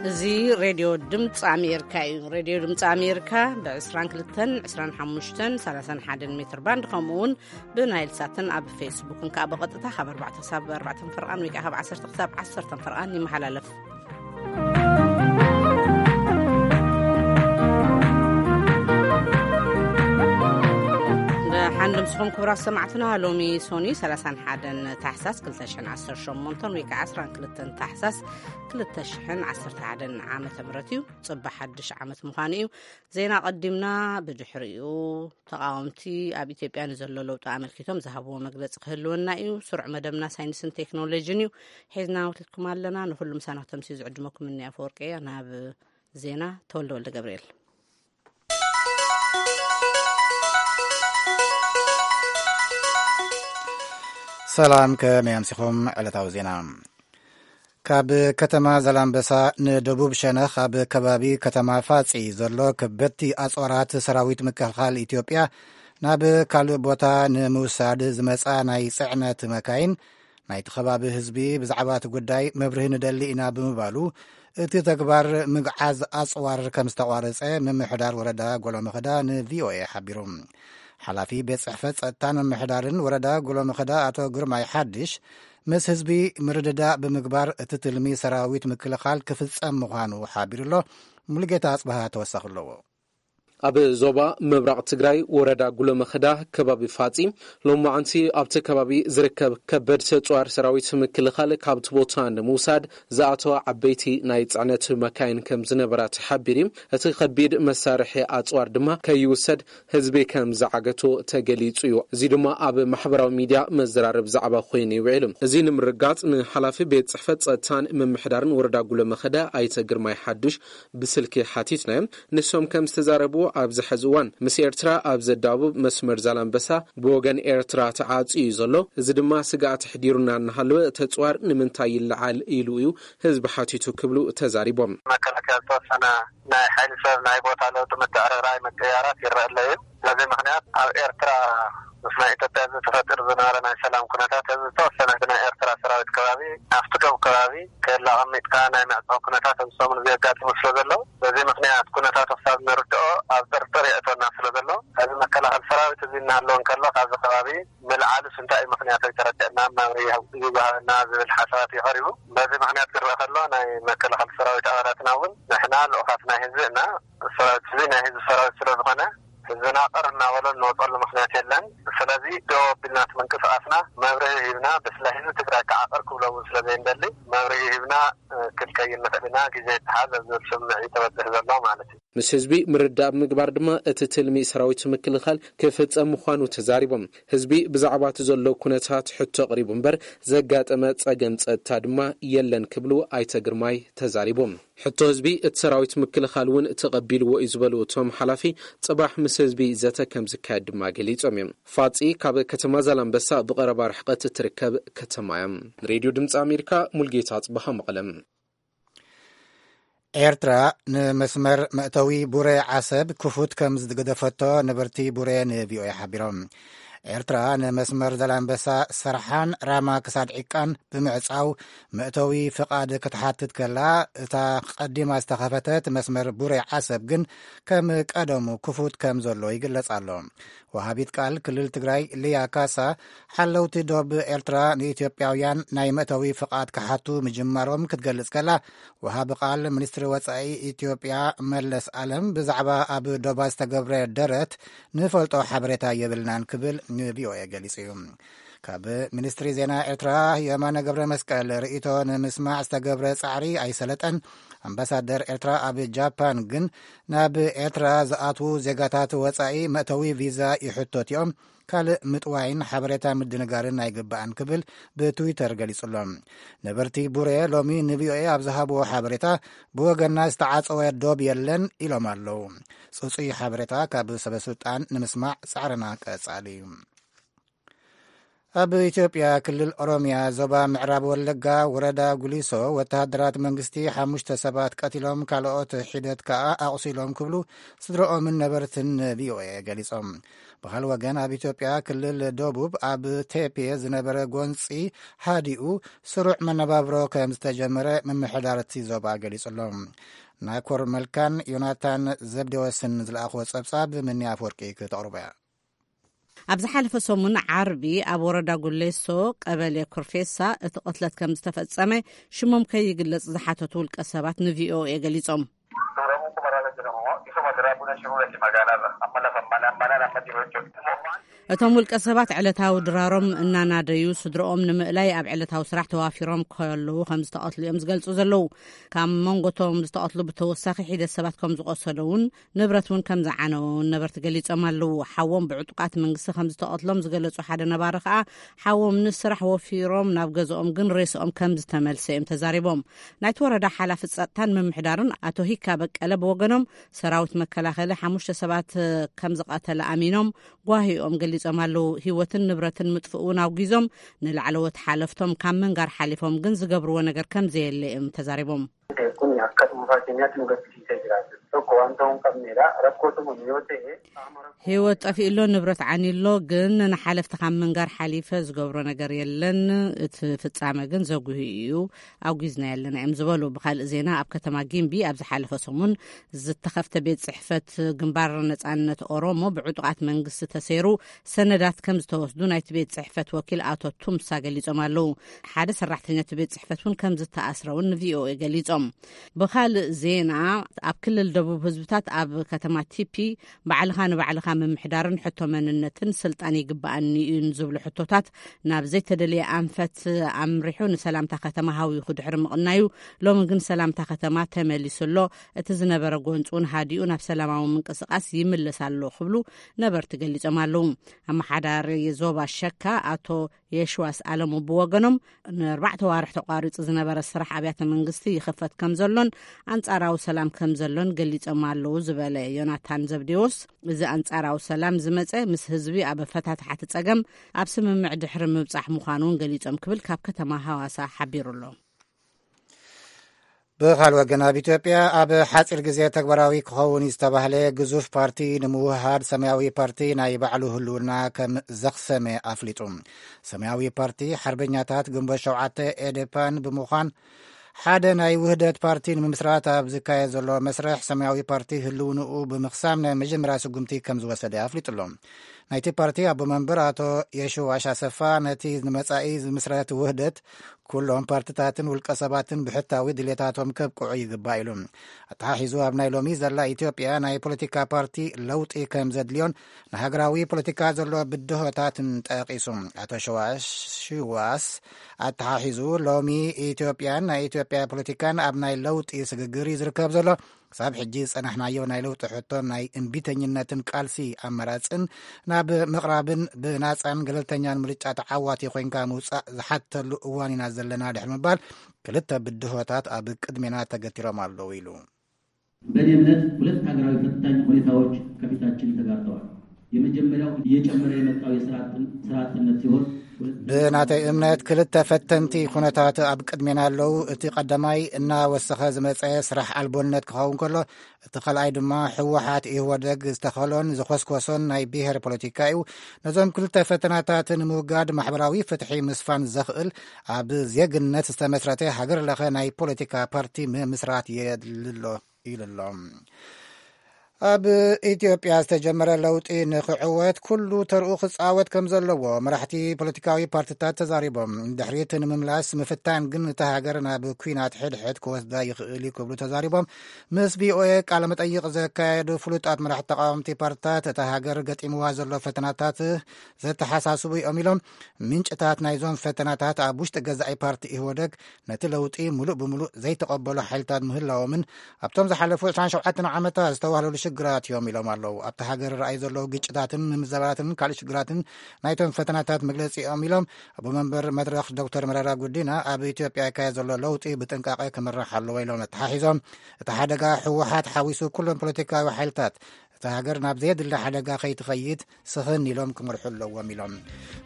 እዚ ሬድዮ ድምፂ ኣሜሪካ እዩ። ሬድዮ ድምፂ ኣሜሪካ ብ22፣ ዕስራን ሓሙሽተን፣ ሰላሳን ሓደን ሜትር ባንድ፣ ከምኡ እውን ብናይል ሳትን ኣብ ፌስቡክን ከዓ ብቐጥታ ካብ ኣርባዕተ ክሳብ ኣርባዕተ ፈርቓን ወይ ከዓ ካብ ዓሰርተ ክሳብ ዓሰርተ ፈርቓን ይመሓላለፍ። ደሓን ድምስኹም ክቡራት ሰማዕትና። ሎሚ ሶኒ ሰላሳን ሓደን ታሕሳስ ክልተ ሽሕን ዓሰርተ ሸሞንተን ወይ ከዓ ዓሰርተ ክልተን ታሕሳስ ክልተ ሽሕን ዓሰርተ ሓደን ዓመተ ምህረት እዩ። ጽባሕ ሓድሽ ዓመት ምዃኑ እዩ። ዜና ቀዲምና፣ ብድሕሪኡ ተቓወምቲ ኣብ ኢትዮጵያ ንዘሎ ለውጢ ኣመልኪቶም ዝሃብዎ መግለጺ ክህልወና እዩ። ስሩዕ መደብና ሳይንስን ቴክኖሎጂን እዩ ሒዝና ወቲትኩም ኣለና። ንኹሉ ምሳና ክተምስዩ ዝዕድመኩም እኒ ኣፈወርቂ እያ። ናብ ዜና፣ ተወልደ ወልደ ገብርኤል። ሰላም፣ ከመይ ኣምሲኹም? ዕለታዊ ዜና። ካብ ከተማ ዛላምበሳ ንደቡብ ሸነኽ ኣብ ከባቢ ከተማ ፋጺ ዘሎ ከበድቲ ኣጽዋራት ሰራዊት ምክልኻል ኢትዮጵያ ናብ ካልእ ቦታ ንምውሳድ ዝመጻ ናይ ጽዕነት መካይን፣ ናይቲ ከባቢ ህዝቢ ብዛዕባ እቲ ጉዳይ መብርሂ ንደሊ ኢና ብምባሉ፣ እቲ ተግባር ምግዓዝ ኣጽዋር ከም ዝተቋረጸ ምምሕዳር ወረዳ ጎሎመኸዳ ንቪኦኤ ሓቢሩ። ሓላፊ ቤት ጽሕፈት ጸጥታን ምምሕዳርን ወረዳ ጎሎመኸዳ ኣቶ ግርማይ ሓድሽ፣ ምስ ህዝቢ ምርድዳእ ብምግባር እቲ ትልሚ ሰራዊት ምክልኻል ክፍጸም ምዃኑ ሓቢሩ ኣሎ። ሙሉጌታ ኣጽበሃ ተወሳኺ ኣለዎ። ኣብ ዞባ ምብራቕ ትግራይ ወረዳ ጉለመኸዳ ከባቢ ፋጺ ሎማዓንቲ ኣብቲ ከባቢ ዝርከብ ከበድ ተጽዋር ሰራዊት ምክልኻል ካብቲ ቦታ ንምውሳድ ዝኣተዋ ዓበይቲ ናይ ጽዕነት መካይን ከም ዝነበራ ተሓቢሩ። እቲ ከቢድ መሳርሒ ኣጽዋር ድማ ከይውሰድ ህዝቢ ከም ዝዓገቶ ተገሊጹ እዩ። እዚ ድማ ኣብ ማሕበራዊ ሚድያ መዘራረብ ዛዕባ ኮይኑ ይውዕል። እዚ ንምርጋጽ ንሓላፊ ቤት ጽሕፈት ጸጥታን ምምሕዳርን ወረዳ ጉለመኸዳ ኣይተ ግርማይ ሓዱሽ ብስልኪ ሓቲትናዮም። ንሶም ከም ዝተዛረብዎ ኣብዚ ሕዚ እዋን ምስ ኤርትራ ኣብ ዘዳብብ መስመር ዛላምበሳ ብወገን ኤርትራ ተዓጽዩ እዩ ዘሎ። እዚ ድማ ስግኣት ኣሕዲሩና እናሃለወ ተጽዋር ንምንታይ ይለዓል ኢሉ እዩ ህዝቢ ሓቲቱ ክብሉ ተዛሪቦም። መከላከያ ዝተወሰነ ናይ ሓይሊ ሰብ ናይ ቦታ ለውጢ ምትዕርራይ ምቅያራት ይረአ ኣሎ እዩ። በዚ ምክንያት ኣብ ኤርትራ ምስ ናይ ኢትዮጵያ ህዝቢ ተፈጢሩ ዝነበረ ናይ ሰላም ኩነታት ህዝቢ ዝተወሰነ ህዝቢ ናይ ኤርትራ ሰራዊት ከባቢ ኣብቲ ዶብ ከባቢ ክህላ ኣቐሚጥካ ናይ ምዕጻው ኩነታት ኣብዚ ሰሙን እዚ የጋጥሙ ስለ ዘሎ በዚ ምክንያት ኩነታቱ ክሳብ ንርድኦ ኣብ ጥርጥር የእተወና ስለ ዘሎ እዚ መከላኸሊ ሰራዊት እዚ እናሃለወ እንከሎ ካብዚ ከባቢ ምልዓሉስ እንታይ እዩ ምክንያቱ ኣይተረድአናን መብርሂ ይሃብ- ይወሃበና ዝብል ሓሳባት እዩ ቀሪቡ። በዚ ምክንያት ክረአ ከሎ ናይ መከላኸሊ ሰራዊት ኣባላትና እውን ንሕና ልኡኻት ናይ ህዝቢ እና ሰራዊት ህዝቢ ናይ ህዝቢ ሰራዊት ስለ ዝኾነ ህዝብና ቅር እናበሎ እንወፀሉ ምክንያት የለን። ስለዚ ደው ኣቢልና እቲ ምንቅስቃስና መብርሂ ሂብና ብፍላይ ህዝቢ ትግራይ ከዓ ቅር ክብሎ እውን ስለ ዘይንደሊ መብርሂ ሂብና ክንከይድ ንኽእል ኢና። ግዜ ይተሓዝ ኣብ ዝብል ስምዒት ተበፅሕ ዘሎ ማለት እዩ። ምስ ህዝቢ ምርዳእ ብምግባር ድማ እቲ ትልሚ ሰራዊት ምክልኻል ክፍጸም ምዃኑ ተዛሪቦም። ህዝቢ ብዛዕባ እቲ ዘሎ ኩነታት ሕቶ ኣቕሪቡ እምበር ዘጋጠመ ጸገም ጸጥታ ድማ የለን ክብሉ ኣይተ ግርማይ ተዛሪቦም። ሕቶ ህዝቢ እቲ ሰራዊት ምክልኻል እውን ተቐቢልዎ እዩ ዝበሉ እቶም ሓላፊ፣ ጽባሕ ምስ ህዝቢ ዘተ ከም ዝካየድ ድማ ገሊጾም እዮም። ፋጺ ካብ ከተማ ዛላምበሳ ብቐረባ ርሕቀት እትርከብ ከተማ እያ። ንሬድዮ ድምፂ ኣሜሪካ ሙልጌታ ጽባሃ መቐለም። ኤርትራ ንመስመር መእተዊ ቡሬ ዓሰብ ክፉት ከም ዝገደፈቶ ነበርቲ ቡሬ ንቪኦኤ ሓቢሮም። ኤርትራ ንመስመር ዘላንበሳ ሰርሓን ራማ ክሳድ ዒቃን ብምዕጻው መእተዊ ፍቓድ ክትሓትት ከላ፣ እታ ቀዲማ ዝተኸፈተት መስመር ቡሬ ዓሰብ ግን ከም ቀደሙ ክፉት ከም ዘሎ ይግለጽ ኣሎ። ወሃቢት ቃል ክልል ትግራይ ሊያ ካሳ፣ ሓለውቲ ዶብ ኤርትራ ንኢትዮጵያውያን ናይ መእተዊ ፍቓድ ክሓቱ ምጅማሮም ክትገልጽ ከላ፣ ወሃቢ ቃል ሚኒስትሪ ወጻኢ ኢትዮጵያ መለስ ኣለም ብዛዕባ ኣብ ዶባት ዝተገብረ ደረት ንፈልጦ ሓበሬታ የብልናን ክብል ንቪኦኤ ገሊጹ እዩ። ካብ ሚኒስትሪ ዜና ኤርትራ የማነ ገብረ መስቀል ርእይቶ ንምስማዕ ዝተገብረ ጻዕሪ ኣይሰለጠን። ኣምባሳደር ኤርትራ ኣብ ጃፓን ግን ናብ ኤርትራ ዝኣትዉ ዜጋታት ወጻኢ መእተዊ ቪዛ ይሕቶት እዮም፣ ካልእ ምጥዋይን ሓበሬታ ምድንጋርን ኣይግባእን ክብል ብትዊተር ገሊጹ ኣሎ። ነበርቲ ቡሬ ሎሚ ንቪኦኤ ኣብ ዝሃብዎ ሓበሬታ፣ ብወገንና ዝተዓጸወ ዶብ የለን ኢሎም ኣለዉ። ጽጹይ ሓበሬታ ካብ ሰበ ስልጣን ንምስማዕ ጻዕርና ቀጻሊ እዩ። ኣብ ኢትዮጵያ ክልል ኦሮሚያ ዞባ ምዕራብ ወለጋ ወረዳ ጉሊሶ ወተሃደራት መንግስቲ ሓሙሽተ ሰባት ቀቲሎም ካልኦት ሒደት ከኣ ኣቑሲሎም ክብሉ ስድረኦምን ነበርትን ቪኦኤ ገሊጾም። ብኻል ወገን ኣብ ኢትዮጵያ ክልል ደቡብ ኣብ ቴፔ ዝነበረ ጎንጺ ሃዲኡ ስሩዕ መነባብሮ ከም ዝተጀመረ ምምሕዳር እቲ ዞባ ገሊጹ ኣሎ። ናኮር መልካን ዮናታን ዘብዴዎስን ዝለኣኽዎ ጸብጻብ ምንያ ኣፈወርቂ ክተቕርቦ እያ። ኣብ ዝሓለፈ ሰሙን ዓርቢ ኣብ ወረዳ ጉሌሶ ቀበሌ ኩርፌሳ እቲ ቅትለት ከም ዝተፈጸመ ሽሞም ከይግለጽ ዝሓተቱ ውልቀ ሰባት ንቪኦኤ ገሊጾም። እቶም ውልቀ ሰባት ዕለታዊ ድራሮም እናናደዩ ስድረኦም ንምእላይ ኣብ ዕለታዊ ስራሕ ተዋፊሮም ከለዉ ከም ዝተቐትሉ እዮም ዝገልጹ ዘለዉ። ካብ መንጎቶም ዝተቐትሉ ብተወሳኺ ሒደት ሰባት ከም ዝቆሰሉ እውን ንብረት እውን ከም ዝዓነወ እውን ነበርቲ ገሊጾም ኣለዉ። ሓዎም ብዕጡቃት መንግስቲ ከም ዝተቐትሎም ዝገለጹ ሓደ ነባሪ ከኣ ሓዎም ንስራሕ ወፊሮም ናብ ገዝኦም ግን ሬስኦም ከም ዝተመልሰ እዮም ተዛሪቦም። ናይቲ ወረዳ ሓላፊ ጸጥታን ምምሕዳርን ኣቶ ሂካ በቀለ ብወገኖም ሰራዊት መከላኸሊ ሓሙሽተ ሰባት ከም ዝቐተለ ኣሚኖም ጓሂኦም ገሊጾም ኣለዉ። ህይወትን ንብረትን ምጥፍእ እውን ኣውጊዞም ንላዕለዎት ሓለፍቶም ካብ ምንጋር ሓሊፎም ግን ዝገብርዎ ነገር ከም ዘየለ እዮም ተዛሪቦም። Kun akka dhuunfaa keenyaatti nu gaddisiisee jira. Tokko wanta hin qabneedha. Rakkoo tokko yoo ta'e qaama rakkoo. ህይወት ጠፊእሎ ንብረት ዓኒሎ ግን ንሓለፍቲ ካብ ምንጋር ሓሊፈ ዝገብሮ ነገር የለን። እቲ ፍጻመ ግን ዘጉሂ እዩ። ኣውጊዝና ያለና እዮም ዝበሉ። ብካልእ ዜና ኣብ ከተማ ጊምቢ ኣብ ዝሓለፈ ሰሙን ዝተኸፍተ ቤት ጽሕፈት ግንባር ነጻነት ኦሮሞ ብዕጡቓት መንግስቲ ተሰይሩ ሰነዳት ከም ዝተወስዱ ናይቲ ቤት ጽሕፈት ወኪል ኣቶ ቱምሳ ገሊጾም ኣለዉ። ሓደ ሰራሕተኛ እቲ ቤት ጽሕፈት እውን ከም ዝተኣስረ እውን ንቪኦኤ ገሊጾም። ብኻልእ ዜና ኣብ ክልል ደቡብ ህዝብታት ኣብ ከተማ ቲፒ ባዕልኻ ንባዕልኻ ምምሕዳርን ሕቶ መንነትን ስልጣን ይግበኣኒ እዩን ዝብሉ ሕቶታት ናብ ዘይተደለየ ኣንፈት ኣምሪሑ ንሰላምታ ከተማ ሃዊኹ ድሕሪ ምቕናዩ ሎሚ ግን ሰላምታ ከተማ ተመሊሱ ኣሎ። እቲ ዝነበረ ጎንፂ እውን ሃዲኡ ናብ ሰላማዊ ምንቅስቃስ ይምለስ ኣሎ ክብሉ ነበርቲ ገሊጾም ኣለዉ። ኣመሓዳሪ ዞባ ሸካ ኣቶ የሽዋስ ኣለሙ ብወገኖም ንኣርባዕተ ዋርሕ ተቋሪፁ ዝነበረ ስራሕ ኣብያተ መንግስቲ ይኽፈት ከም ዘሎን ኣንጻራዊ ሰላም ከም ዘሎን ገሊጾም ኣለዉ ዝበለ ዮናታን ዘብዴዎስ፣ እዚ ኣንጻራዊ ሰላም ዝመጸ ምስ ህዝቢ ኣብ ኣፈታትሓ እቲ ጸገም ኣብ ስምምዕ ድሕሪ ምብጻሕ ምዃኑ እውን ገሊጾም ክብል ካብ ከተማ ሃዋሳ ሓቢሩ ኣሎ። ብኻል ወገን ኣብ ኢትዮጵያ ኣብ ሓፂር ግዜ ተግባራዊ ክኸውን ዝተባህለ ግዙፍ ፓርቲ ንምውሃድ ሰማያዊ ፓርቲ ናይ ባዕሉ ህልውና ከም ዘኽሰመ ኣፍሊጡ። ሰማያዊ ፓርቲ ሓርበኛታት ግንቦት ሸውዓተ ኤዴፓን ብምዃን ሓደ ናይ ውህደት ፓርቲ ንምምስራት ኣብ ዝካየድ ዘሎ መስርሕ ሰማያዊ ፓርቲ ህልውንኡ ብምኽሳም ናይ መጀመርያ ስጉምቲ ከም ዝወሰደ ኣፍሊጡ ኣሎ። ናይቲ ፓርቲ ኣቦ መንበር ኣቶ የሽዋሽ ኣሰፋ ነቲ ንመጻኢ ዝምስረት ውህደት ኩሎም ፓርትታትን ውልቀ ሰባትን ብሕታዊ ድሌታቶም ከብቅዑ ይግባእ ኢሉ። ኣተሓሒዙ ኣብ ናይ ሎሚ ዘላ ኢትዮጵያ ናይ ፖለቲካ ፓርቲ ለውጢ ከም ዘድልዮን ንሃገራዊ ፖለቲካ ዘሎ ብድሆታትን ጠቂሱ። ኣቶ ሽዋሽ ሽዋስ ኣተሓሒዙ ሎሚ ኢትዮጵያን ናይ ኢትዮጵያ ፖለቲካን ኣብ ናይ ለውጢ ስግግር እዩ ዝርከብ ዘሎ። ክሳብ ሕጂ ዝጸናሕናዮ ናይ ለውጢ ሕቶን ናይ እምቢተኝነትን ቃልሲ ኣማራጽን ናብ ምቕራብን ብናጻን ገለልተኛን ምርጫ ተዓዋቲ ኮይንካ ምውጻእ ዝሓተሉ እዋን ኢና ዘለና ድሕሪ ምባል ክልተ ብድሆታት ኣብ ቅድሜና ተገቲሮም ኣለዉ ኢሉ። በእኔ እምነት ሁለት ሀገራዊ ፈታኝ ሁኔታዎች ከፊታችን ተጋርጠዋል። የመጀመሪያው እየጨመረ የመጣው የስራ አጥን- ስራ አጥነት ሲሆን ብናተይ እምነት ክልተ ፈተንቲ ኩነታት ኣብ ቅድሜና ኣለዉ። እቲ ቀዳማይ እናወሰኸ ዝመጸ ስራሕ ኣልቦነት ክኸውን ከሎ፣ እቲ ካልኣይ ድማ ህወሓት ኢህወደግ ዝተኸሎን ዝኮስኮሶን ናይ ብሄር ፖለቲካ እዩ። ነዞም ክልተ ፈተናታት ንምውጋድ ማሕበራዊ ፍትሒ ምስፋን ዘኽእል ኣብ ዜግነት ዝተመስረተ ሃገር ለኸ ናይ ፖለቲካ ፓርቲ ምምስራት የድሊ ኣሎ ኢሉ ኣሎ። ኣብ ኢትዮጵያ ዝተጀመረ ለውጢ ንክዕወት ኩሉ ተርኡ ክፃወት ከም ዘለዎ መራሕቲ ፖለቲካዊ ፓርቲታት ተዛሪቦም። ድሕሪት ንምምላስ ምፍታን ግን እታ ሃገር ናብ ኲናት ሕድሕድ ክወስዳ ይኽእል እዩ ክብሉ ተዛሪቦም። ምስ ቪኦኤ ቃለ መጠይቕ ዘካየዱ ፍሉጣት መራሕቲ ተቃወምቲ ፓርቲታት እታ ሃገር ገጢምዋ ዘሎ ፈተናታት ዘተሓሳስቡ እዮም ኢሎም። ምንጭታት ናይዞም ፈተናታት ኣብ ውሽጢ ገዛኢ ፓርቲ ኢህወደግ ነቲ ለውጢ ሙሉእ ብሙሉእ ዘይተቐበሉ ሓይልታት ምህላዎምን ኣብቶም ዝሓለፉ ዕስራን ሸውዓተን ዓመታት ዝተዋህለሉ ሽግራት እዮም ኢሎም ኣለዉ። ኣብቲ ሃገር ረኣዩ ዘለዉ ግጭታትን ምምዘባትን ካልእ ሽግራትን ናይቶም ፈተናታት መግለጺ እዮም ኢሎም። ኣቦ መንበር መድረኽ ዶክተር መረራ ጉዲና ኣብ ኢትዮጵያ ይካየድ ዘሎ ለውጢ ብጥንቃቄ ክምራሕ ኣለዎ ኢሎም ኣተሓሒዞም። እቲ ሓደጋ ህወሓት ሓዊሱ ኩሎም ፖለቲካዊ ሓይልታት እታ ሃገር ናብ ዘየድሊ ሓደጋ ከይትኸይድ ስኽን ኢሎም ክመርሑ ኣለዎም ኢሎም።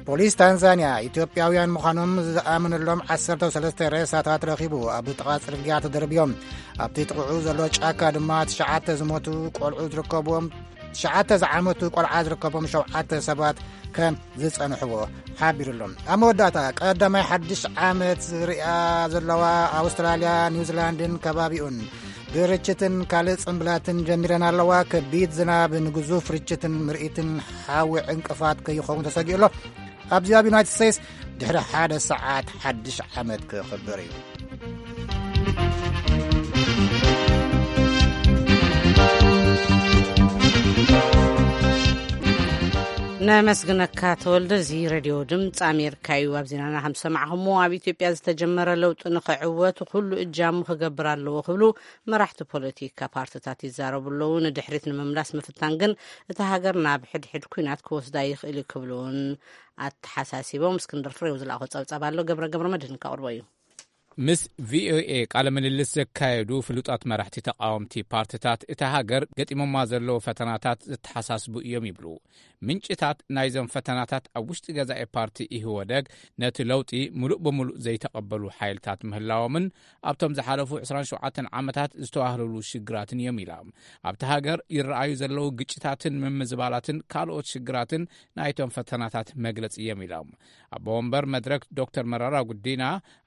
ፖሊስ ታንዛንያ ኢትዮጵያውያን ምዃኖም ዝኣመነሎም ዓሰርተ ሰለስተ ሬሳታት ረኺቡ። ኣብ ጥቓ ጽርግያ ተደርብዮም ኣብቲ ጥቕዑ ዘሎ ጫካ ድማ ትሽዓተ ዝሞቱ ቆልዑ ዝርከብዎም ትሽዓተ ዝዓመቱ ቆልዓ ዝርከቦም ሸውዓተ ሰባት ከም ዝጸንሕዎ ሓቢሩሎም። ኣብ መወዳእታ ቀዳማይ ሓድሽ ዓመት ዝርእያ ዘለዋ ኣውስትራልያ፣ ኒውዚላንድን ከባቢኡን ብርችትን ካልእ ጽምብላትን ጀሚረን ኣለዋ። ከቢድ ዝናብ ንግዙፍ ርችትን ምርኢትን ሓዊ ዕንቅፋት ከይኸውን ተሰጊኡ ኣሎ። ኣብዚ ኣብ ዩናይትድ ስቴትስ ድሕሪ ሓደ ሰዓት ሓድሽ ዓመት ክኽበር እዩ። ነመስግነካ ተወልደ። እዚ ሬድዮ ድምፂ ኣሜሪካ እዩ። ኣብ ዜናና ከም ዝሰማዕኹሞ ኣብ ኢትዮጵያ ዝተጀመረ ለውጢ ንኽዕወት ኩሉ እጃሙ ክገብር ኣለዎ ክብሉ መራሕቲ ፖለቲካ ፓርትታት ይዛረቡ ኣለዉ። ንድሕሪት ንምምላስ ምፍታን ግን እታ ሃገር ናብ ሕድሕድ ኩናት ክወስዳ ይኽእል እዩ ክብሉ እውን ኣተሓሳሲቦም። እስክንድር ፍሬው ዝለኣኾ ጸብጻብ ኣሎ፣ ገብረ ገብረ መድህን ከቕርቦ እዩ። ምስ ቪኦኤ ቃለ ምልልስ ዘካየዱ ፍሉጣት መራሕቲ ተቃወምቲ ፓርትታት እታ ሃገር ገጢሞማ ዘለዉ ፈተናታት ዘተሓሳስቡ እዮም ይብሉ። ምንጭታት ናይዞም ፈተናታት ኣብ ውሽጢ ገዛኢ ፓርቲ ኢህወደግ ነቲ ለውጢ ምሉእ ብምሉእ ዘይተቐበሉ ሓይልታት ምህላዎምን ኣብቶም ዝሓለፉ ዕስራን ሸውዓተን ዓመታት ዝተዋህለሉ ሽግራትን እዮም ኢሎም። ኣብቲ ሃገር ይረኣዩ ዘለዉ ግጭታትን ምምዝባላትን ካልኦት ሽግራትን ናይቶም ፈተናታት መግለጺ እዮም ኢሎም። ኣቦ ወንበር መድረክ ዶክተር መረራ ጉዲና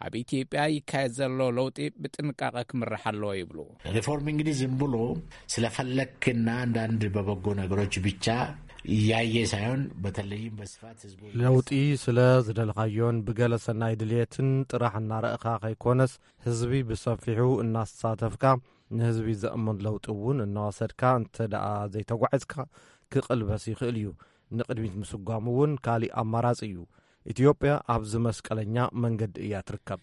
ኣብ ኢትዮጵያ ይካየድ ዘሎ ለውጢ ብጥንቃቐ ክምራሕ ኣለዎ ይብሉ። ሪፎርም እንግዲህ ዝም ብሎ ስለፈለክና አንዳንድ በበጎ ነገሮች ብቻ እያየ ሳይሆን በተለይም በስፋት ህዝቡ ለውጢ ስለ ዝደልኻዮን ብገለ ሰናይ ድልየትን ጥራሕ እናረእኻ ከይኮነስ ህዝቢ ብሰፊሑ እናሳተፍካ ንህዝቢ ዘእምን ለውጢ እውን እናወሰድካ እንተ ደኣ ዘይተጓዒዝካ ክቕልበስ ይኽእል እዩ። ንቕድሚት ምስጓም እውን ካሊእ ኣማራጺ እዩ። ኢትዮጵያ ኣብዚ መስቀለኛ መንገዲ እያ ትርከብ።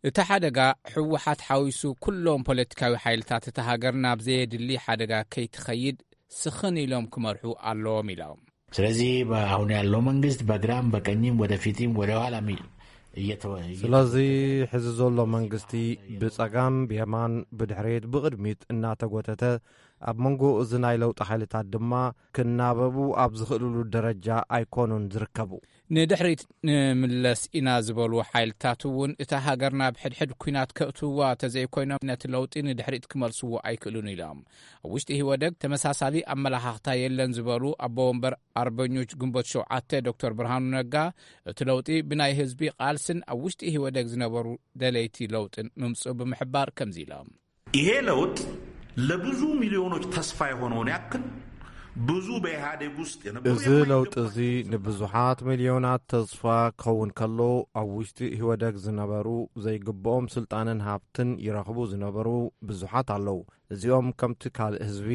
እቲ ሓደጋ ህወሓት ሓዊሱ ኩሎም ፖለቲካዊ ሓይልታት እታ ሃገር ናብ ዘየድሊ ሓደጋ ከይትኸይድ ስኽን ኢሎም ክመርሑ ኣለዎም ኢሎም። ስለዚህ አሁን ያለው መንግስት በግራም በቀኝም ወደፊትም ወደ ኋላም እየተወ-፣ ስለዚ ሕዚ ዘሎ መንግስቲ ብጸጋም ብየማን ብድሕሬት ብቕድሚት እናተጎተተ ኣብ መንጎ እዚ ናይ ለውጢ ሓይልታት ድማ ክናበቡ ኣብ ዝኽእልሉ ደረጃ ኣይኮኑን ዝርከቡ። ንድሕሪት ንምለስ ኢና ዝበሉ ሓይልታት እውን እታ ሃገር ናብ ሕድሕድ ኲናት ከእትውዋ ተዘይኮይኖም ነቲ ለውጢ ንድሕሪት ክመልስዎ ኣይክእሉን ኢሎም። ኣብ ውሽጢ ኢህወደግ ተመሳሳሊ ኣመለኻኽታ የለን ዝበሉ ኣቦ ወንበር ኣርበኞች ግንቦት ሸውዓተ ዶክተር ብርሃኑ ነጋ እቲ ለውጢ ብናይ ህዝቢ ቃልስን ኣብ ውሽጢ ኢህወደግ ዝነበሩ ደለይቲ ለውጥን ምምፅኡ ብምሕባር ከምዚ ኢሎም። ይሄ ለውጥ ለብዙ ሚሊዮኖች ተስፋ የሆነውን ያክል ብዙ በኢህአዴግ ውስጥ የነበሩ እዚ ለውጢ እዚ ንብዙሓት ሚሊዮናት ተስፋ ክኸውን ከሎ ኣብ ውሽጢ ኢህወደግ ዝነበሩ ዘይግብኦም ስልጣንን ሃብትን ይረኽቡ ዝነበሩ ብዙሓት ኣለዉ። እዚኦም ከምቲ ካልእ ህዝቢ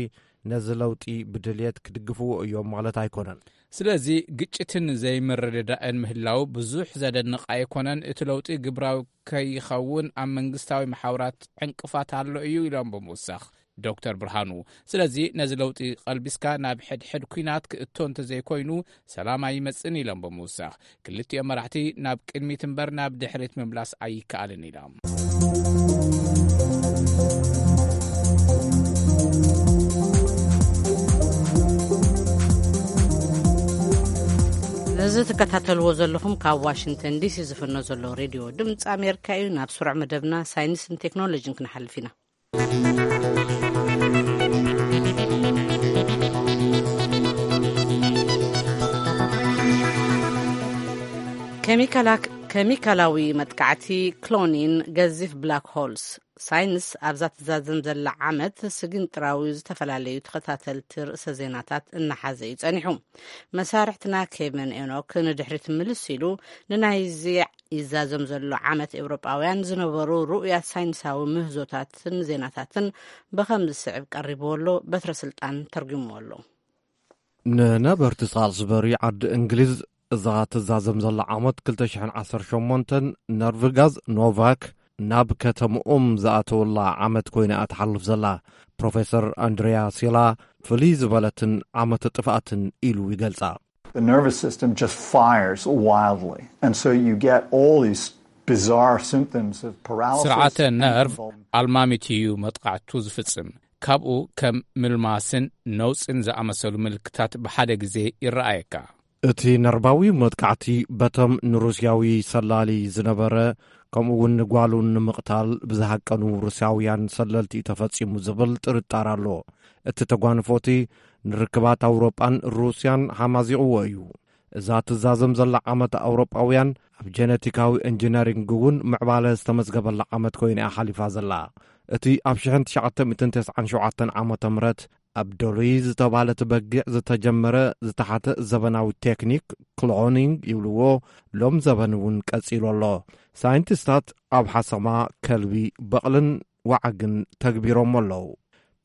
ነዚ ለውጢ ብድልየት ክድግፍዎ እዮም ማለት ኣይኮነን። ስለዚ ግጭትን ዘይምርድዳእን ምህላው ብዙሕ ዘደንቕ ኣይኮነን። እቲ ለውጢ ግብራዊ ከይኸውን ኣብ መንግስታዊ መሓውራት ዕንቅፋት ኣሎ እዩ ኢሎም ብምውሳኽ ዶክተር ብርሃኑ፣ ስለዚ ነዚ ለውጢ ቀልቢስካ ናብ ሕድሕድ ኲናት ክእቶ እንተዘይኮይኑ ሰላም ኣይመጽእን ኢሎም ብምውሳኽ ክልቲኦም መራሕቲ ናብ ቅድሚት እምበር ናብ ድሕሪት ምምላስ ኣይከኣልን ኢሎም። እዚ ትከታተልዎ ዘለኹም ካብ ዋሽንግተን ዲሲ ዝፍኖ ዘሎ ሬድዮ ድምፂ ኣሜሪካ እዩ። ናብ ስሩዕ መደብና ሳይንስን ቴክኖሎጂን ክንሓልፍ ኢና። ኬሚካላ-፣ ኬሚካላዊ መጥቃዕቲ፣ ክሎኒን፣ ገዚፍ ብላክ ሆልስ። ሳይንስ ኣብዛ ትዛዘም ዘላ ዓመት ስግንጥራዊ ዝተፈላለዩ ተኸታተልቲ ርእሰ ዜናታት እናሓዘ እዩ ጸኒሑ። መሳርሕትና ኬቨን ኤኖክ ንድሕሪት ምልስ ኢሉ ንናይዚ ይዛዘም ዘሎ ዓመት ኤውሮጳውያን ዝነበሩ ርኡያት ሳይንሳዊ ምህዞታትን ዜናታትን ብኸም ዝስዕብ ቀሪብዎ ኣሎ። በትረ ስልጣን ተርጉምዎ ኣሎ። ንነበርቲ ሳልስበሪ ዓዲ እንግሊዝ እዛ ትዛዘም ዘላ ዓመት ክልተ ሽሕን ዓሰርተ ሸሞንተን ነርቭ ጋዝ ኖቫክ ናብ ከተምኦም ዝኣተወላ ዓመት ኮይና እያ ትሓልፍ ዘላ። ፕሮፌሰር ኣንድሪያ ሲላ ፍልይ ዝበለትን ዓመተ ጥፍኣትን ኢሉ ይገልጻ። The nervous system just fires wildly. And so you get all these bizarre symptoms of paralysis ስርዓተ and ነርቭ convulsions. ኣልማሚት እዩ መጥቃዕቱ ዝፍጽም። ካብኡ ከም ምልማስን ነውጽን ዝኣመሰሉ ምልክታት ብሓደ ግዜ ይረኣየካ። እቲ ነርባዊ መጥቃዕቲ በቶም ንሩስያዊ ሰላሊ ዝነበረ፣ ከምኡ እውን ንጓሉ ንምቕታል ብዝሃቀኑ ሩስያውያን ሰለልቲ ተፈጺሙ ዝብል ጥርጣር ኣሎ። እቲ ተጓንፎቲ ንርክባት ኣውሮጳን ሩስያን ሓማዚቕዎ እዩ። እዛ ትዛዘም ዘላ ዓመት ኣውሮጳውያን ኣብ ጀነቲካዊ ኢንጂነሪንግ እውን ምዕባለ ዝተመዝገበላ ዓመት ኮይና እያ ሓሊፋ ዘላ። እቲ ኣብ ሽሕን ትሽዓተ ሚእትን ተስዓን ሸውዓተን ዓመተ ምህረት ኣብ ዶሊ ዝተባህለት በጊዕ ዝተጀመረ ዝተሓተ ዘበናዊ ቴክኒክ ክሎኒንግ ይብልዎ፣ ሎም ዘበን እውን ቀጺሉ ኣሎ። ሳይንቲስታት ኣብ ሓሰማ፣ ከልቢ፣ በቕልን ዋዓግን ተግቢሮም ኣለዉ።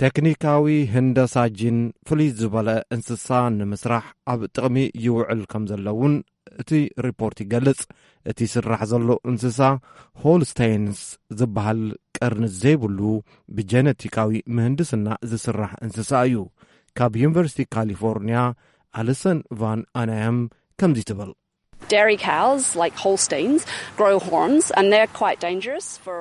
ቴክኒካዊ ህንደሳ ጂን ፍልይ ዝበለ እንስሳ ንምስራሕ ኣብ ጥቕሚ ይውዕል ከም ዘለውን እቲ ሪፖርት ይገልጽ። እቲ ስራሕ ዘሎ እንስሳ ሆልስቴይንስ ዝበሃል ቀርኒ ዘይብሉ ብጀነቲካዊ ምህንድስና ዝስራሕ እንስሳ እዩ። ካብ ዩኒቨርሲቲ ካሊፎርኒያ ኣሊሰን ቫን ኣናያም ከምዚ ትብል። Dairy cows, like Holsteins, grow horns and they're quite dangerous for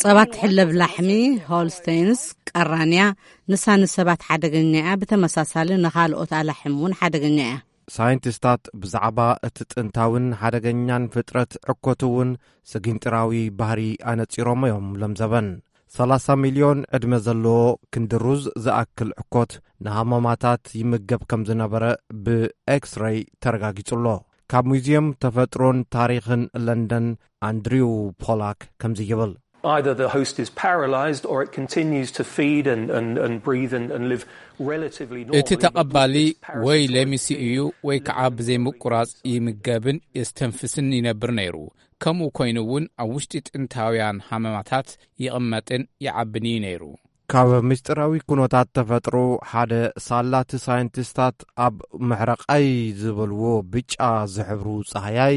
ጸባ ትሕለብ ላሕሚ ሆልስቴንስ ቀራንያ፣ ንሳ ንሰባት ሓደገኛ እያ። ብተመሳሳሊ ንኻልኦት ኣላሕም እውን ሓደገኛ እያ። ሳይንቲስታት ብዛዕባ እቲ ጥንታዊን ሓደገኛን ፍጥረት ዕኮት እውን ስጊንጥራዊ ባህሪ ኣነጺሮም እዮም። ሎም ዘበን ሰላሳ ሚልዮን ዕድመ ዘለዎ ክንዲ ሩዝ ዝኣክል ዕኮት ንሃመማታት ይምገብ ከም ዝነበረ ብኤክስሬይ ተረጋጊጹ ኣሎ። ካብ ሙዚየም ተፈጥሮን ታሪኽን ለንደን ኣንድሪው ፖላክ ከምዚ ይብል። Either the host is paralysed or it continues to feed and, and, and breathe and, and live relatively normally. እቲ ተቐባሊ ወይ ለሚሲ እዩ ወይ ከዓ ብዘይምቁራጽ ይምገብን የስተንፍስን ይነብር ነይሩ። ከምኡ ኮይኑ እውን ኣብ ውሽጢ ጥንታውያን ሃመማታት ይቕመጥን ይዓብን እዩ ነይሩ። ካብ ምስጢራዊ ኩነታት ተፈጥሮ ሓደ ሳላቲ ሳይንቲስታት ኣብ ምሕረቓይ ዝበልዎ ብጫ ዝሕብሩ ጻህያይ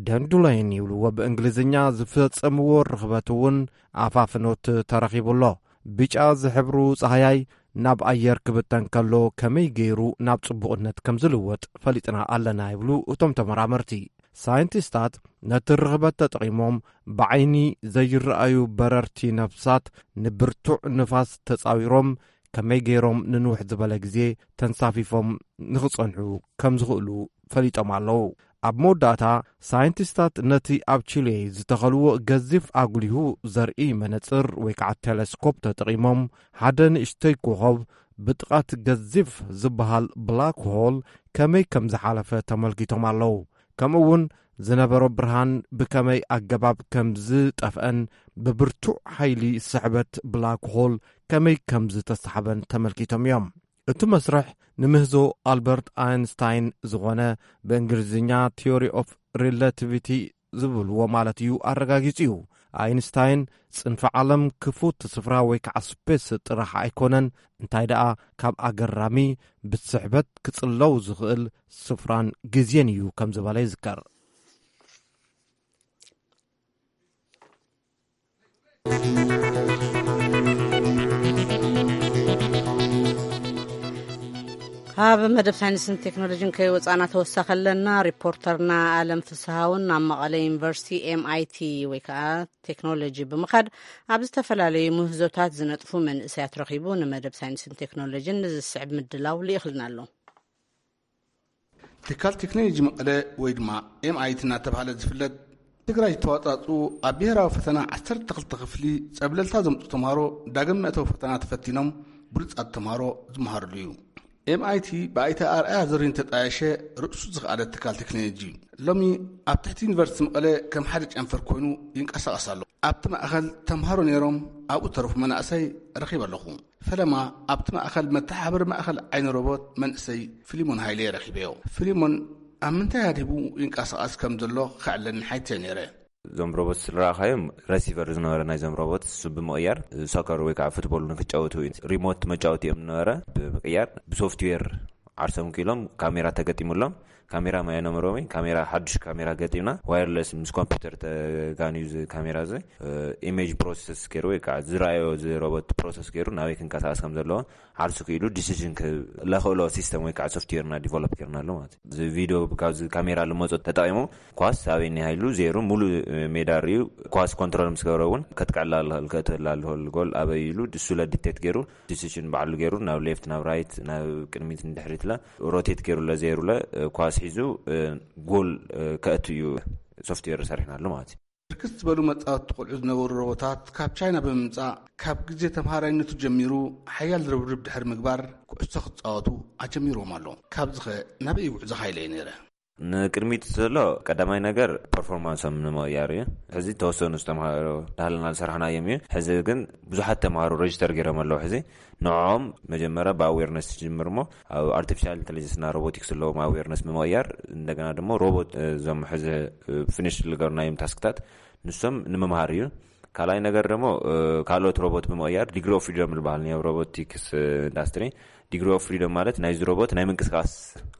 ደንዱለይን ይብልዎ ብእንግሊዝኛ ዝፈጸምዎ ርኽበት እውን ኣፋፍኖት ተረኺቡ ኣሎ። ብጫ ዝሕብሩ ጻህያይ ናብ ኣየር ክብተን ከሎ ከመይ ገይሩ ናብ ጽቡቕነት ከም ዝልወጥ ፈሊጥና ኣለና ይብሉ እቶም ተመራመርቲ። ሳይንቲስታት ነቲ ርኽበት ተጠቒሞም ብዓይኒ ዘይረኣዩ በረርቲ ነፍሳት ንብርቱዕ ንፋስ ተጻዊሮም ከመይ ገይሮም ንንውሕ ዝበለ ግዜ ተንሳፊፎም ንኽጸንሑ ከም ዝኽእሉ ፈሊጦም ኣለዉ። ኣብ መወዳእታ ሳይንቲስታት ነቲ ኣብ ቺሌ ዝተኸልዎ ገዚፍ ኣጉሊሁ ዘርኢ መነጽር ወይ ከዓ ቴሌስኮፕ ተጠቒሞም ሓደ ንእሽተይ ኮኸብ ብጥቓት ገዚፍ ዝበሃል ብላክ ሆል ከመይ ከም ዝሓለፈ ተመልኪቶም ኣለዉ። ከምኡ እውን ዝነበሮ ብርሃን ብከመይ ኣገባብ ከም ዝጠፍአን ብብርቱዕ ሓይሊ ስሕበት ብላክ ሆል ከመይ ከም ዝተሳሕበን ተመልኪቶም እዮም። እቲ መስርሕ ንምህዞ ኣልበርት ኣይንስታይን ዝኾነ ብእንግሊዝኛ ቲዮሪ ኦፍ ሪላቲቪቲ ዝብልዎ ማለት እዩ ኣረጋጊጹ እዩ። ኣይንስታይን ጽንፈ ዓለም ክፉት ስፍራ ወይ ከዓ ስፔስ ጥራሕ ኣይኮነን፣ እንታይ ደኣ ካብ ኣገራሚ ብስሕበት ክጽለው ዝኽእል ስፍራን ግዜን እዩ ከም ዝበለ ይዝከር። ካብ መደብ ሳይንስን ቴክኖሎጂን ከይወፃና ተወሳኺ ኣለና። ሪፖርተርና ኣለም ፍስሃውን ናብ መቐለ ዩኒቨርሲቲ ኤምኣይቲ ወይ ከዓ ቴክኖሎጂ ብምኻድ ኣብ ዝተፈላለዩ ምህዞታት ዝነጥፉ መንእሰያት ረኺቡ ንመደብ ሳይንስን ቴክኖሎጂን ንዝስዕብ ምድላው ልኢኽልና ኣሎ። ትካል ቴክኖሎጂ መቐለ ወይ ድማ ኤምኣይቲ እናተባህለ ዝፍለጥ ትግራይ ዝተዋፃፅኡ ኣብ ብሄራዊ ፈተና ዓሰርተ ክልተ ክፍሊ ፀብለልታ ዘምፁ ተምሃሮ ዳግም መእተዊ ፈተና ተፈቲኖም ብሉፃት ተምሃሮ ዝመሃርሉ እዩ። ኤምኣይቲ ብኣይተ ኣርኣያ ዘሪሁን ተጣየሸ ርእሱ ዝኸኣለ ትካል ቴክኖሎጂ እዩ። ሎሚ ኣብ ትሕቲ ዩኒቨርሲቲ መቐለ ከም ሓደ ጨንፈር ኮይኑ ይንቀሳቐስ ኣሎ። ኣብቲ ማእኸል ተምሃሮ ነይሮም ኣብኡ ተረፉ መናእሰይ ረኺበ ኣለኹ። ፈለማ ኣብቲ ማእኸል መተሓባበሪ ማእኸል ዓይኒ ሮቦት መንእሰይ ፊሊሞን ሃይለ ረኺበዮ። ፊሊሞን ኣብ ምንታይ ኣድሂቡ ይንቀሳቐስ ከም ዘሎ ከዕለኒ ሓይተ ነይረ። እዞም ሮቦት ዝረኣኻዮም ረሲቨር ዝነበረ ናይዞም ሮቦት እሱ ብምቕያር ሶከር ወይ ከዓ ፉትቦል ንክጫወቱ ሪሞት መጫወቲ እዮም ዝነበረ ብምቕያር ብሶፍትዌር ዓርሶም ክኢሎም ካሜራ ተገጢሙሎም። ካሜራ ማየኖምሮሚ ካሜራ ሓዱሽ ካሜራ ገጢምና፣ ዋየርለስ ምስ ኮምፒውተር ተጋንዩ እዚ ካሜራ እዚ ኢሜጅ ፕሮሰስ ገይሩ ወይ ከዓ ዝረኣዮ እዚ ሮቦት ፕሮሰስ ገይሩ ናበይ ክንቀሳቀስ ከም ዘለዎ ዓርሱ ክኢሉ ዲሲዥን ለኽእሎ ሲስተም ወይ ከዓ ሶፍትዌርና ዲቨሎፕ ገይርናሉ ማለት እዩ። እዚ ቪዲዮ ካብዚ ካሜራ ልመፆ ተጠቂሙ ኳስ ኣበይ እኒሃ ኢሉ ዜሩ ሙሉእ ሜዳ ርእዩ፣ ኳስ ኮንትሮል ምስ ገበረ እውን ከጥቅዕላ ልኽእል፣ ከእትወላ ልኽእል ጎል ኣበይ ኢሉ እሱ ለዲቴክት ገይሩ ዲሲሽን ባዕሉ ገይሩ ናብ ሌፍት ናብ ራይት ናብ ቅድሚት ንድሕሪት ለ ሮቴት ገይሩ ለ ዜሩ ለ ኳስ ሒዙ ጎል ከእቱ እዩ ሶፍትዌር ሰሪሕናሉ ማለት እዩ። ብርክት ዝበሉ መጻወቲ ቆልዑ ዝነበሩ ሮቦታት ካብ ቻይና ብምምጻእ ካብ ግዜ ተምሃራይነቱ ጀሚሩ ሓያል ርብርብ ድሕሪ ምግባር ኩዕሶ ክጻወቱ ኣጀሚርዎም ኣሎ። ካብዚ ኸ ናበይ ጉዕዞ ሃይለ እዩ ነይረ? ንቅድሚት ዘሎ ቀዳማይ ነገር ፐርፎርማንሶም ንምቕያር እዩ። ሕዚ ተወሰኑ ዝተምሃሩ ዳህልና ዝሰራሕናዮም እዩ። ሕዚ ግን ብዙሓት ተምሃሩ ሬጅስተር ገይሮም ኣለዉ። ሕዚ ንዕኦም መጀመርያ ብኣዌርነስ ትጅምር እሞ ኣብ ኣርቲፊሻል ኢንቴሊጀንስና ሮቦቲክስ ዘለዎም ኣዌርነስ ብምቕያር እንደገና ድማ ሮቦት እዞም ሕዚ ፊኒሽ ዝገርናዮም ታስክታት ንሶም ንምምሃር እዩ። ካልኣይ ነገር ደግሞ ካልኦት ሮቦት ብምቕያር ዲግሪ ኦፍ ፍሪደም ዝበሃል ናይ ሮቦቲክስ ኢንዳስትሪ። ዲግሪ ኦፍ ፍሪደም ማለት ናይዚ ሮቦት ናይ ምንቅስቃስ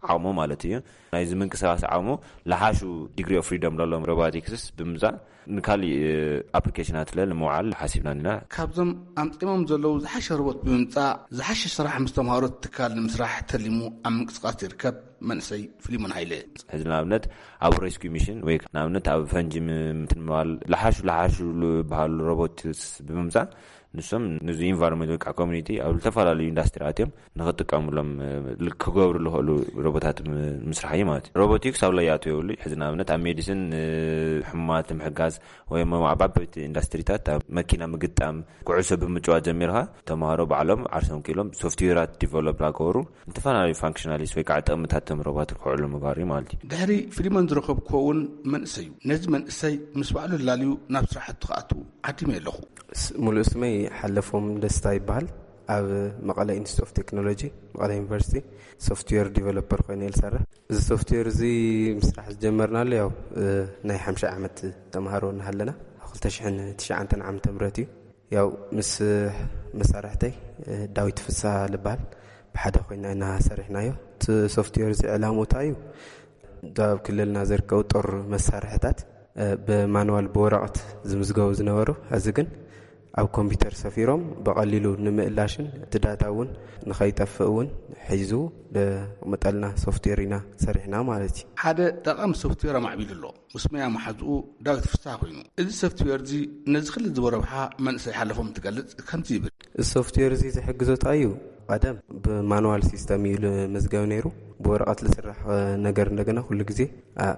ዓቕሙ ማለት እዩ። ናይዚ ምንቅስቃስ ዓቕሙ ለሓሹ ዲግሪ ኦፍ ፍሪደም ለሎም ሮቦቲክስ ብምምፃእ ንካሊእ ኣፕሊኬሽናት ለ ንምውዓል ሓሲብና ኢና። ካብዞም ኣምፂሞም ዘለዉ ዝሓሸ ሮቦት ብምምፃእ ዝሓሸ ስራሕ ምስ ተምሃሮ ትካል ንምስራሕ ተሊሙ ኣብ ምንቅስቃስ ይርከብ መንእሰይ ፊሊሞን ሃይለ። ሕዚ ንኣብነት ኣብ ሬስኪ ሚሽን ወይ ንኣብነት ኣብ ፈንጂ ምትንባል ለሓሹ ለሓሹ ዝበሃሉ ሮቦትስ ብምምፃእ ንሶም ንዚ ኢንቫይሮንመንት ወይ ከዓ ኮሚኒቲ ኣብ ዝተፈላለዩ ኢንዳስትሪ ኣትዮም ንክጥቀሙሎም ክገብሩ ዝኽእሉ ሮቦታት ምስራሕ እዩ ማለት እዩ። ሮቦቲክስ ኣብ ለያቱ የብሉ። ሕዚ ንኣብነት ኣብ ሜዲሲን ሕሙማት ንምሕጋዝ ወይ ኣብ ዓበይቲ ኢንዳስትሪታት ኣብ መኪና ምግጣም ኩዕሶ ብምጭዋት ጀሚርካ ተምሃሮ ባዕሎም ዓርሶም ክኢሎም ሶፍትዌራት ዲቨሎፕ ላገበሩ ዝተፈላለዩ ፋንክሽናሊስት ወይ ከዓ ጥቕምታት ተምረባት ክውዕሉ ምግባር እዩ ማለት እዩ። ድሕሪ ፊሊሞን ዝረኸብኩዎ እውን መንእሰይ እዩ። ነዚ መንእሰይ ምስ ባዕሉ ላልዩ ናብ ስራሕቱ ክኣቱ ዓዲመ ኣለኹ። ሙሉእ ስመይ ሓለፎም ደስታ ይበሃል። ኣብ መቐለ ኢንስቲትዩት ኦፍ ቴክኖሎጂ መቐለ ዩኒቨርሲቲ ሶፍትዌር ዲቨሎፐር ኮይነ እየ ዝሰርሕ። እዚ ሶፍትዌር እዚ ምስራሕ ዝጀመርናሉ ያው ናይ ሓምሻ ዓመት ተምሃሮ እናሃለና ኣብ ክልተ ሽሕን ትሽዓተን ዓመተ ምህረት እዩ። ያው ምስ መሳርሕተይ ዳዊት ፍሳ ልበሃል ብሓደ ኮይና ኢና ሰሪሕናዮ። እቲ ሶፍትዌር እዚ ዕላምኡ እንታይ እዩ? ኣብ ክልልና ዝርከቡ ጦር መሳርሕታት ብማንዋል ብወረቐት ዝምዝገቡ ዝነበሩ፣ ሕዚ ግን ኣብ ኮምፒውተር ሰፊሮም ብቐሊሉ ንምእላሽን እቲ ዳታ እውን ንኸይጠፍእ እውን ሒዙ ዘቕምጠልና ሶፍትዌር ኢና ሰሪሕና ማለት እዩ። ሓደ ጠቓሚ ሶፍትዌር ኣማዕቢሉ ኣሎ። ምስ መያ መሓዝኡ ዳዊት ፍስሓ ኮይኑ፣ እዚ ሶፍትዌር እዚ ነዚ ክልል ዝበረብሓ መንእሰይ ሓለፎም ትገልጽ ከምዚ ይብል። እዚ ሶፍትዌር እዚ ዝሕግዞ እንታይ እዩ? ቀደም ብማኑዋል ሲስተም እዩ ዝምዝገብ ነይሩ። ብወረቐት ዝስራሕ ነገር እንደገና ኩሉ ግዜ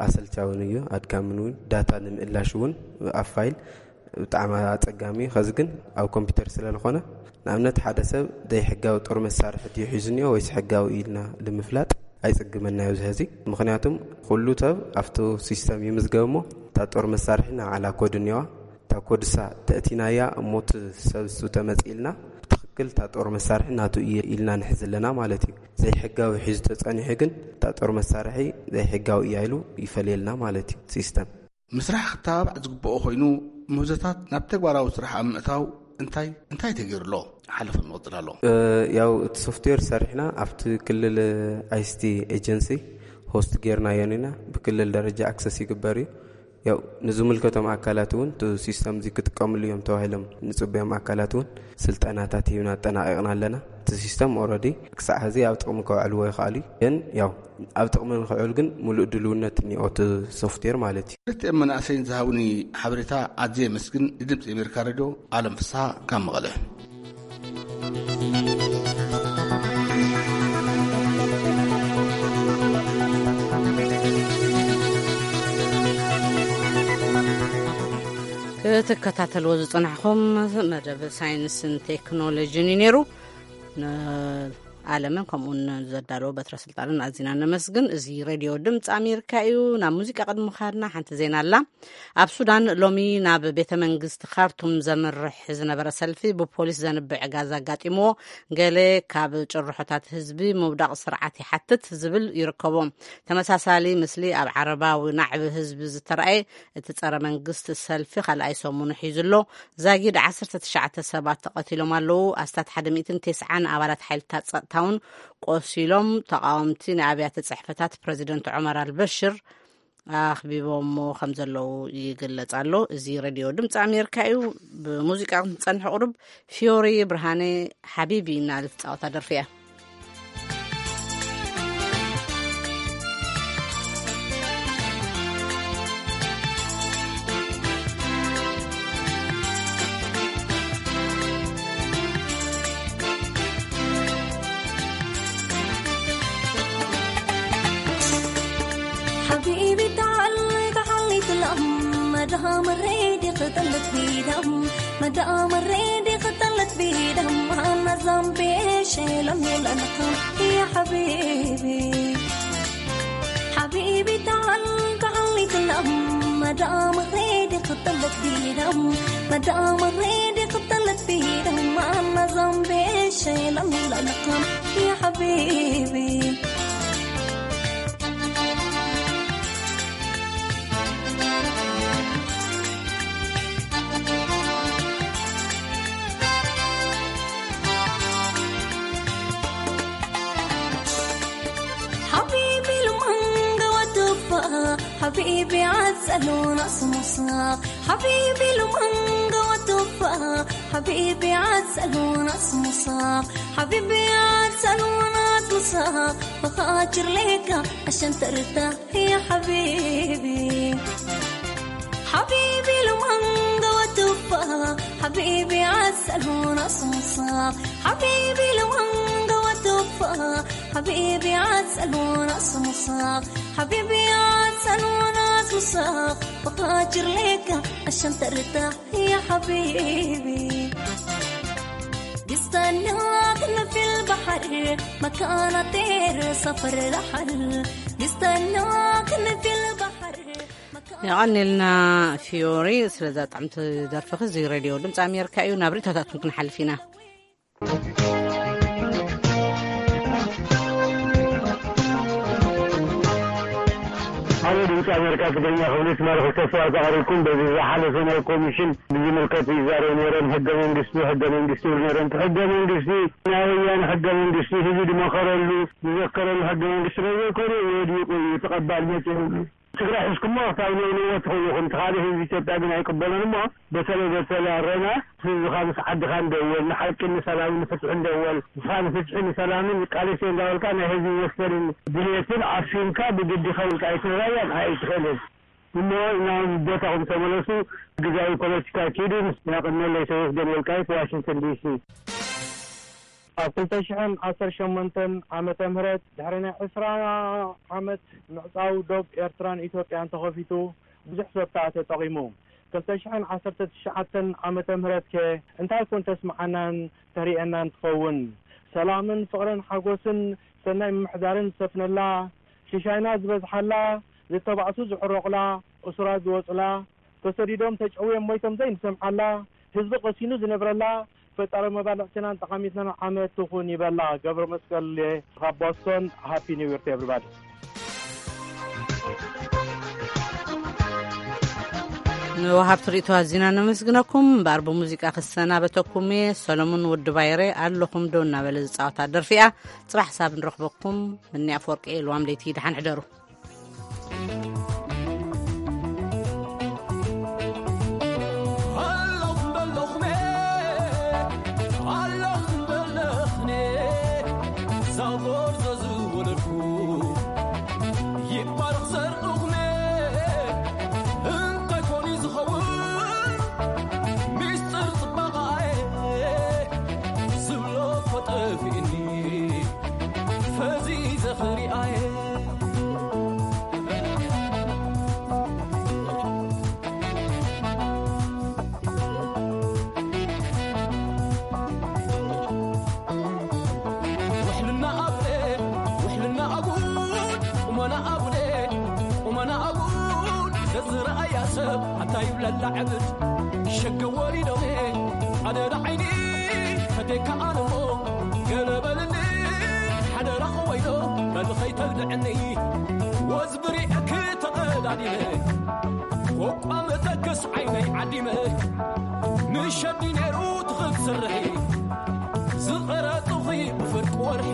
ኣሰልቻውን እዩ፣ ኣድካምን እውን። ዳታ ንምእላሽ እውን ኣብ ፋይል ብጣዕሚ ኣጸጋሚ እዩ። ከዚ ግን ኣብ ኮምፒውተር ስለ ዝኾነ፣ ንኣብነት ሓደ ሰብ ዘይሕጋዊ ጦር መሳርሒ ድዩ ሒዙ እኒኦ ወይስ ሕጋዊ ኢልና ንምፍላጥ ኣይጽግመናዮ እዚ ሕዚ። ምኽንያቱም ኩሉ ሰብ ኣብቲ ሲስተም ይምዝገብ እሞ እታ ጦር መሳርሒ ንባዕላ ኮድ እኒዋ። እታ ኮድሳ ተእቲናያ እሞ እቲ ሰብ እሱ ተመጽእ ኢልና ብትኽክል እታ ጦር መሳርሒ ናቱ እየ ኢልና ንሕዝ ኣለና ማለት እዩ። ዘይሕጋዊ ሒዙ ተጸኒሑ ግን እታ ጦር መሳርሒ ዘይሕጋዊ እያ ኢሉ ይፈልየልና ማለት እዩ ሲስተም። ምስራሕ ክተባባዕ ዝግብኦ ኮይኑ ምህዞታት ናብ ተግባራዊ ስራሕ ኣብ ምእታው እንታይ እንታይ ተገይሩ ኣሎ? ሓለፈ ንቕጽል ኣሎ። ያው እቲ ሶፍትዌር ሰሪሕና ኣብቲ ክልል ኣይሲቲ ኤጀንሲ ሆስት ጌርናዮን ኢና። ብክልል ደረጃ ኣክሰስ ይግበር እዩ። ያው ንዝምልከቶም ኣካላት እውን እቲ ሲስተም እዚ ክጥቀምሉ እዮም ተባሂሎም ንጽበዮም ኣካላት እውን ስልጠናታት ሂብና ኣጠናቒቕና ኣለና። እቲ ሲስተም ኦረዲ ክሳዕ ሕዚ ኣብ ጥቕሚ ከውዕልዎ ይኽኣሉ እዩ። ግን ያው ኣብ ጥቕሚ ንክዕል ግን ሙሉእ ድልውነት እኒኦ እቲ ሶፍትዌር ማለት እዩ። ክልቲኦም መናእሰይን ዝሃቡኒ ሓበሬታ ኣዝየ የመስግን። ንድምፂ ኣሜሪካ ሬድዮ ኣለም ፍስሓ ካብ መቐለ። ክትከታተልዎ ዝጸናሕኹም መደብ ሳይንስን ቴክኖሎጂን እዩ ነይሩ። ንዓለምን ከምኡውን ዘዳለዎ በትረ ስልጣንን ኣዚና ነመስግን። እዚ ሬድዮ ድምፂ ኣሜሪካ እዩ። ናብ ሙዚቃ ቅድሚ ምኻድና ሓንቲ ዜና ኣላ። ኣብ ሱዳን ሎሚ ናብ ቤተ መንግስቲ ካርቱም ዘምርሕ ዝነበረ ሰልፊ ብፖሊስ ዘንብዕ ጋዝ ኣጋጢምዎ፣ ገለ ካብ ጭርሖታት ህዝቢ ምውዳቕ ስርዓት ይሓትት ዝብል ይርከቦ። ተመሳሳሊ ምስሊ ኣብ ዓረባዊ ናዕቢ ህዝቢ ዝተራእየ እቲ ጸረ መንግስቲ ሰልፊ ካልኣይ ሰሙኑ ሒዙ ኣሎ። ዛጊድ ዓሰርተ ትሽዓተ ሰባት ተቐቲሎም ኣለዉ። ኣስታት ሓደ ሚእትን ተስዓን ኣባላት ሓይልታት ጸጥታ እውን ቆሲሎም። ተቃወምቲ ናይ ኣብያተ ጽሕፈታት ፕረዚደንት ዑመር ኣልበሽር ኣኽቢቦሞ ከም ዘለዉ ይግለጽ ኣሎ። እዚ ሬድዮ ድምፂ ኣሜሪካ እዩ። ብሙዚቃ ክንጸንሕ ቁሩብ፣ ፊዮሪ ብርሃነ ሓቢቢ እናበለት ትጻወታ ደርፊ እያ። حبيبي تعال، تعال نتلم، مدام الريد قتلت بيدم، مدام الريد قتلت بيدم، أنا ذنبي إيش لم يلنقم يا حبيبي. حبيبي تعال، تعال نتلم، مدام الريد قتلت بيدم، مدام الريد قتلت بيدم، أنا ذنبي إيش لم يلنقم يا حبيبي. حبيبي المانجا وتفاح، حبيبي عسل وناس مصاق، حبيبي المانجا وتفاح، حبيبي عسل وناس مصاق، حبيبي عسل وناس مصاق، بخاطر ليك عشان ترتاح يا حبيبي. حبيبي المانجا وتفاح، حبيبي عسل وناس مصاق، حبيبي المانجا وتفاح، حبيبي عسل وناس مصاق، حبيبي عسل وناس مصاق، بخاطر ليك عشان ترتاح يا حبيبي. بستناك في البحر، مكان طير سفر رحل. بستناك في البحر، مكان የቐኒልና ፊዮሪ ስለዛ ጥዕምቲ ደርፍኺ። እዚ ሬድዮ ድምፂ ኣሜሪካ እዩ። ናብ ርእይቶታትኩም ክንሓልፍ ኢና። ኣብ ድምፂ ኣሜሪካ ትግርኛ ክፍሊ ትማሊ ክልተ ሰባት ኣቕሪብኩም፣ በዚ ዝሓለፈ ናይ ኮሚሽን ብዝምልከት ይዛረቡ ነይሮም። ሕገ መንግስቲ፣ ሕገ መንግስቲ ይብሉ ነይሮም። ሕገ መንግስቲ፣ ናይ ወያነ ሕገ መንግስቲ ህዝቢ ዝመኸረሉ፣ ዝዘከረሉ ሕገ መንግስቲ ስለ ዘይኮነ ወዲቑ እዩ፣ ተቐባልነት የብሉ። ትግራይ ሒዝኩሞ ክሳብ ንእንወ ትኽእሉ ኢኹም። እቲ ካልእ ህዝቢ ኢትዮጵያ ግን ኣይቅበሎን እሞ፣ በተለይ በተለይ ኣረና ህዝብኻ ምስ ዓድኻ እንደወል፣ ንሓቂ ንሰላምን ንፍትሒ እንደወል፣ ንስኻ ንፍትሒ ንሰላምን ቃልሲ እንዳበልካ ናይ ህዝቢ መሰልን ድልየትን ኣፍንካ ብግዲ ከብልካ ኣይትራያን ኣይትኽእልን። እሞ ናብ ቦታኹም ተመለሱ። ግዛዊ ፖለቲካ ኪዱ። ያቕነለይ ተመስገን ወልቃይት፣ ዋሽንግተን ዲሲ። ኣብ ክልተ ሽሕን ዓሰርተ ሸሞንተን ዓመተ ምህረት፣ ድሕሪ ናይ ዕስራ ዓመት ምዕጻው ዶብ ኤርትራን ኢትዮጵያን ተኸፊቱ፣ ብዙሕ ሰብ ከኣ ተጠቒሙ። ክልተ ሽሕን ዓሰርተ ትሽዓተን ዓመተ ምህረት ከ እንታይ ኮን ተስምዓናን ተርእየናን ትኸውን? ሰላምን ፍቕርን ሓጎስን ሰናይ ምምሕዳርን ዝሰፍነላ፣ ሽሻይና ዝበዝሓላ፣ ዝተባእሱ ዝዕረቑላ፣ እሱራት ዝወጹላ፣ ተሰዲዶም ተጨውዮም ሞይቶም ዘይንሰምዓላ፣ ህዝቢ ቀሲኑ ዝነብረላ፣ ፈጣሪ መባልዕትናን ጠቓሚትናን ዓመት ትኹን ይበላ። ገብረ መስቀል ካብ ቦስቶን፣ ሃፒ ኒው ይር ቱ ኤቭሪባዲ። ንወሃብቲ ርእይቶ ኣዚና ነመስግነኩም። እምበኣር ብሙዚቃ ክሰናበተኩም እየ። ሰሎሙን ወዲ ባይረ ኣለኹም ዶ እናበለ ዝጻወታ ደርፊ እያ። ጽባሕ ሳብ ንረኽበኩም። እኒ ኣፈወርቂ ልዋም ለይቲ፣ ደሓን ሕደሩ። ኣለኹም በለኹሜ፣ ኣለኹም በለኽኔ፣ ዛጎር ዘዝወለድኩ ይባረኽ ዘርእኹሜ። እንታይ ኮን እዩ ዝኸውን ሚስጥር ጽባቐኣየ? ዝብሎ እኮ ጠፊእኒ ፈዚዘ ክሪኣየ። ውሕልና ኣጉደ፣ ውሕልና ኣጉድ፣ ቁመና ኣጉደ፣ ቁመና ኣጉድ፣ ዘዝረኣያ ሰብ ኣታ ይብለላ ዕብድ። ሸገ ወሪዶሜ ኣደዳ ዓይኒ ፈቴካ ኣነሞ ገለ በልኒ ሓደራ ክወይዶ በልኸይ ተግድዕኒ። ወዝ ብሪዕኪ ተቐዳዲመ ኮቋ መተክስ ዓይነይ ዓዲመ ንሸዲ ነይሩ ትኽል ስርሒ ዝቐረጽኺ ብፍርቂ ወርሒ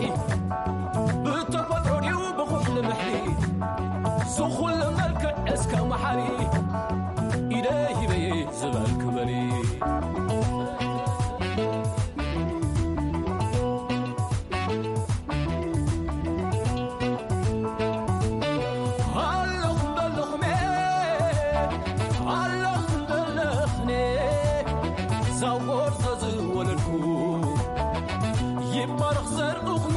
ይባረኽ ዘርኡኹም